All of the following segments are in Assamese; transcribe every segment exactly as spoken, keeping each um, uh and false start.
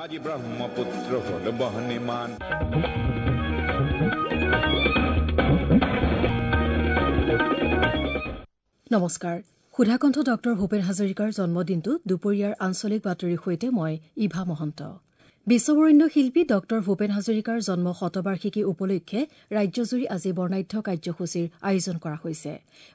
আজি ব্ৰহ্মপুত্ৰ হ'ল বহ্নিমান। নমস্কাৰ। সুধাকণ্ঠ ডক্টৰ ভূপেন হাজৰিকাৰ জন্মদিনটো দুপৰীয়াৰ আঞ্চলিক বাতৰিৰ সৈতে মই ইভা মহন্ত। বিশ্ববৰেণ্য শিল্পী ডক্টৰ ভূপেন হাজৰিকাৰ জন্ম শতবাৰ্ষিকী উপলক্ষে ৰাজ্যজুৰি আজি বৰ্ণাঢ্য কাৰ্যসূচীৰ আয়োজন কৰা হৈছে।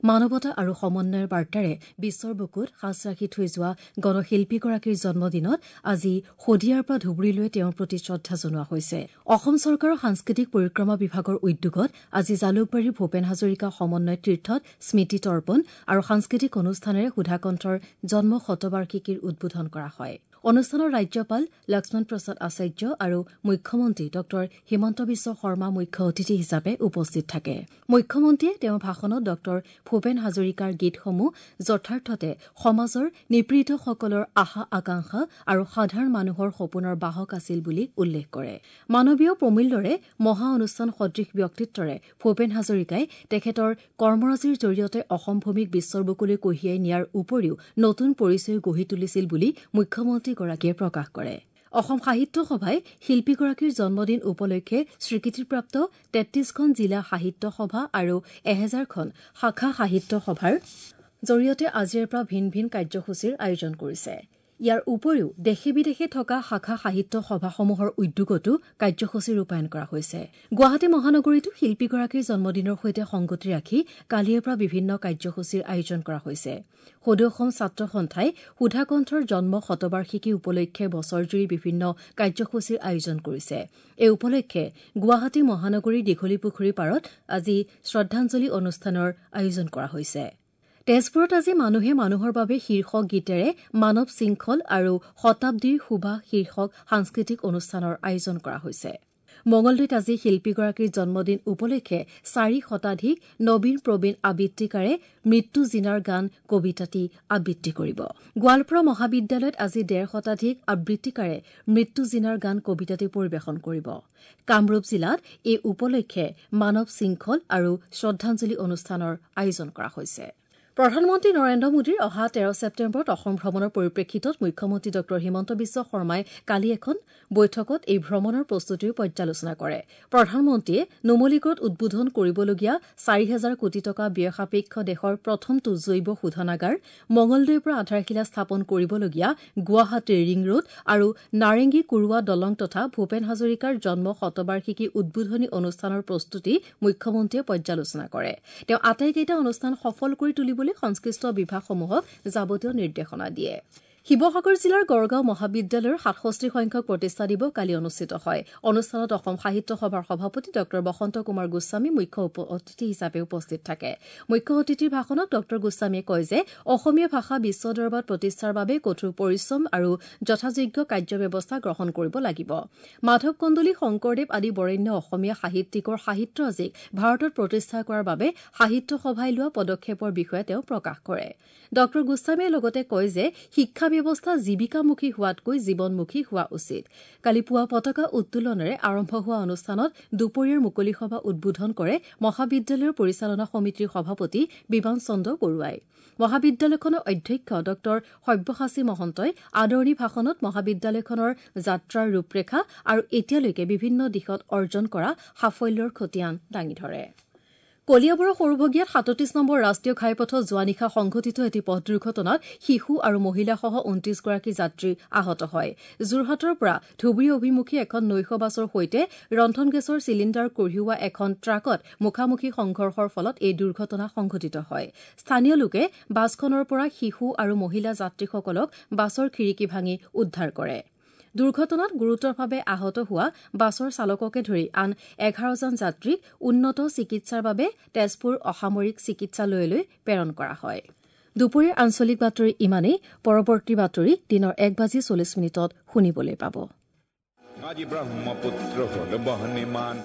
মানৱতা আৰু সমন্বয়ৰ বাৰ্তাৰে বিশ্বৰ বুকুত সাঁচ ৰাখি থৈ যোৱা গণশিল্পীগৰাকীৰ জন্মদিনত আজি শদিয়াৰ পৰা ধুবুৰীলৈ তেওঁৰ প্ৰতি শ্ৰদ্ধা জনোৱা হৈছে। অসম চৰকাৰৰ সাংস্কৃতিক পৰিক্ৰমা বিভাগৰ উদ্যোগত আজি জালুকবাৰীৰ ভূপেন হাজৰিকা সমন্বয় তীৰ্থত স্মৃতি তৰ্পণ আৰু সাংস্কৃতিক অনুষ্ঠানেৰে সুধাকণ্ঠৰ জন্ম শতবাৰ্ষিকীৰ উদ্বোধন কৰা হয়। অনুষ্ঠানৰ ৰাজ্যপাল লক্ষ্মণ প্ৰসাদ আচাৰ্য আৰু মুখ্যমন্ত্ৰী ডক্টৰ হিমন্ত বিশ্ব শৰ্মা মুখ্য অতিথি হিচাপে উপস্থিত থাকে। মুখ্যমন্ত্ৰীয়ে তেওঁৰ ভাষণত ডক্টৰ ভূপেন হাজৰিকাৰ গীতসমূহ যথাৰ্থতে সমাজৰ নিপীড়িতসকলৰ আশা আকাংক্ষা আৰু সাধাৰণ মানুহৰ সপোনৰ বাহক আছিল বুলি উল্লেখ কৰে। মানৱীয় প্ৰমূল্যৰে মহা অনুষ্ঠান সদৃশ ব্যক্তিত্বৰে ভূপেন হাজৰিকাই তেখেতৰ কৰ্মৰাজিৰ জৰিয়তে অসম ভূমিক বিশ্বৰ বুকুলৈ কঢ়িয়াই নিয়াৰ উপৰিও নতুন পৰিচয় গঢ়ি তুলিছিল বুলি মুখ্যমন্ত্ৰী গৰাকীয়ে প্ৰকাশ কৰে। অসম সাহিত্য সভাই শিল্পীগৰাকীৰ জন্মদিন উপলক্ষে স্বীকৃতিপ্ৰাপ্ত তেত্ৰিশখন জিলা সাহিত্য সভা আৰু এহেজাৰখন শাখা সাহিত্য সভাৰ জৰিয়তে আজিৰে পৰা ভিন ভিন কাৰ্যসূচীৰ আয়োজন কৰিছে। ইয়াৰ উপৰিও দেশে বিদেশে থকা শাখা সাহিত্য সভাসমূহৰ উদ্যোগতো কাৰ্যসূচী ৰূপায়ণ কৰা হৈছে। গুৱাহাটী মহানগৰীতো শিল্পীগৰাকীৰ জন্মদিনৰ সৈতে সংগতি ৰাখি কালিৰে পৰা বিভিন্ন কাৰ্যসূচীৰ আয়োজন কৰা হৈছে। সদৌ অসম ছাত্ৰ সন্থাই সুধাকণ্ঠৰ জন্ম শতবাৰ্ষিকী উপলক্ষে বছৰজুৰি বিভিন্ন কাৰ্যসূচীৰ আয়োজন কৰিছে। এই উপলক্ষে গুৱাহাটী মহানগৰীৰ দীঘলীপুখুৰী পাৰত আজি শ্ৰদ্ধাঞ্জলি অনুষ্ঠানৰ আয়োজন কৰা হৈছে। তেজপুৰত আজি মানুহে মানুহৰ বাবে শীৰ্ষক গীতেৰে মানৱ শৃংখল আৰু শতাব্দীৰ শোভা শীৰ্ষক সাংস্কৃতিক অনুষ্ঠানৰ আয়োজন কৰা হৈছে। মঙলদৈত আজি শিল্পীগৰাকীৰ জন্মদিন উপলক্ষে চাৰি শতাধিক নবীন প্ৰবীণ আবৃত্তিকাৰে মৃত্যু জিনাৰ গান কবিতাটি আবৃত্তি কৰিব। গোৱালপাৰা মহাবিদ্যালয়ত আজি ডেৰ শতাধিক আবৃত্তিকাৰে মৃত্যু জিনাৰ গান কবিতাটি পৰিৱেশন কৰিব। কামৰূপ জিলাত এই উপলক্ষে মানৱ শৃংখল আৰু শ্ৰদ্ধাঞ্জলি অনুষ্ঠানৰ আয়োজন কৰা হৈছে। প্ৰধানমন্ত্ৰী নৰেন্দ্ৰ মোদীৰ অহা তেৰ ছেপ্টেম্বৰত অসম ভ্ৰমণৰ পৰিপ্ৰেক্ষিতত মুখ্যমন্ত্ৰী ডক্টৰ হিমন্ত বিশ্ব শৰ্মাই কালি এখন বৈঠকত এই ভ্ৰমণৰ প্ৰস্তুতিৰ পৰ্যালোচনা কৰে। প্ৰধানমন্ত্ৰীয়ে নুমলীগড়ত উদ্বোধন কৰিবলগীয়া চাৰি হাজাৰ কোটি টকা ব্যয় সাপেক্ষ দেশৰ প্ৰথমটো জৈৱ শোধনাগাৰ, মঙলদৈৰ পৰা আধাৰশিলা স্থাপন কৰিবলগীয়া গুৱাহাটীৰ ৰিং ৰোড আৰু নাৰেংগী কুৰুৱা দলং তথা ভূপেন হাজৰিকাৰ জন্ম শতবাৰ্ষিকী উদ্বোধনী অনুষ্ঠানৰ প্ৰস্তুতি মুখ্যমন্ত্ৰীয়ে পৰ্যালোচনা কৰে। তেওঁ আটাইকেইটা অনুষ্ঠান সফল কৰি তুলিবলৈ সংশ্লিষ্ট বিভাগসমূহক যাৱতীয় নিৰ্দেশনা দিয়ে। শিৱসাগৰ জিলাৰ গড়গাঁও মহাবিদ্যালয়ৰ সাতষষ্ঠি সংখ্যক প্ৰতিষ্ঠা দিৱস কালি অনুষ্ঠিত হয়। অনুষ্ঠানত অসম সাহিত্য সভাৰ সভাপতি ডক্টৰ বসন্ত কুমাৰ গোস্বামী মুখ্য অতিথি হিচাপে উপস্থিত থাকে। মুখ্য অতিথিৰ ভাষণত ডক্টৰ গোস্বামীয়ে কয় যে অসমীয়া ভাষা বিশ্ব দৰবাৰত প্ৰতিষ্ঠাৰ বাবে কঠোৰ পৰিশ্ৰম আৰু যথাযোগ্য কাৰ্যব্যৱস্থা গ্ৰহণ কৰিব লাগিব। মাধৱ কন্দলী, শংকৰদেৱ আদি বৰেণ্য অসমীয়া সাহিত্যিকৰ সাহিত্যৰাজিক ভাৰতত প্ৰতিষ্ঠা কৰাৰ বাবে সাহিত্য সভাই লোৱা পদক্ষেপৰ বিষয়ে তেওঁ প্ৰকাশ কৰে। ডক্টৰ গোস্বামীয়ে লগতে কয় যে শিক্ষা ব্যৱস্থা জীৱিকামুখী হোৱাতকৈ জীৱনমুখী হোৱা উচিত। কালি পুৱা পতাকা উত্তোলনেৰে আৰম্ভ হোৱা অনুষ্ঠানত দুপৰীয়াৰ মুকলি সভা উদ্বোধন কৰে মহাবিদ্যালয়ৰ পৰিচালনা সমিতিৰ সভাপতি বিমান চন্দ্ৰ বৰুৱাই। মহাবিদ্যালয়খনৰ অধ্যক্ষ ডক্টৰ সব্যসাচী মহন্তই আদৰণি ভাষণত মহাবিদ্যালয়খনৰ যাত্ৰাৰ ৰূপৰেখা আৰু এতিয়ালৈকে বিভিন্ন দিশত অৰ্জন কৰা সাফল্যৰ খতিয়ান দাঙি ধৰে। কলিয়াবৰৰ সৰুভগীয়াত সাতত্ৰিশ নম্বৰ ৰাষ্ট্ৰীয় ঘাইপথত যোৱা নিশা সংঘটিত এটি পথ দুৰ্ঘটনাত শিশু আৰু মহিলাসহ ঊনত্ৰিশগৰাকী যাত্ৰী আহত হয়। যোৰহাটৰ পৰা ধুবুৰী অভিমুখী এখন নৈশ বাছৰ সৈতে ৰন্ধন গেছৰ চিলিণ্ডাৰ কঢ়িওৱা এখন ট্ৰাকত মুখামুখি সংঘৰ্ষৰ ফলত এই দুৰ্ঘটনা সংঘটিত হয়। স্থানীয় লোকে বাছখনৰ পৰা শিশু আৰু মহিলা যাত্ৰীসকলক বাছৰ খিৰিকী ভাঙি উদ্ধাৰ কৰে। দুৰ্ঘটনাত গুৰুতৰভাৱে আহত হোৱা বাছৰ চালককে ধৰি আন এঘাৰজন যাত্ৰীক উন্নত চিকিৎসাৰ বাবে তেজপুৰ অসামৰিক চিকিৎসালয়লৈ প্ৰেৰণ কৰা হয়। দুপৰীয়াৰ আঞ্চলিক বাতৰি ইমানেই। পৰৱৰ্তী বাতৰি দিনৰ এক বাজি চল্লিছ মিনিটত শুনিবলৈ পাব। আজি ব্ৰহ্মপুত্ৰ হ'ল বহ্নিমান।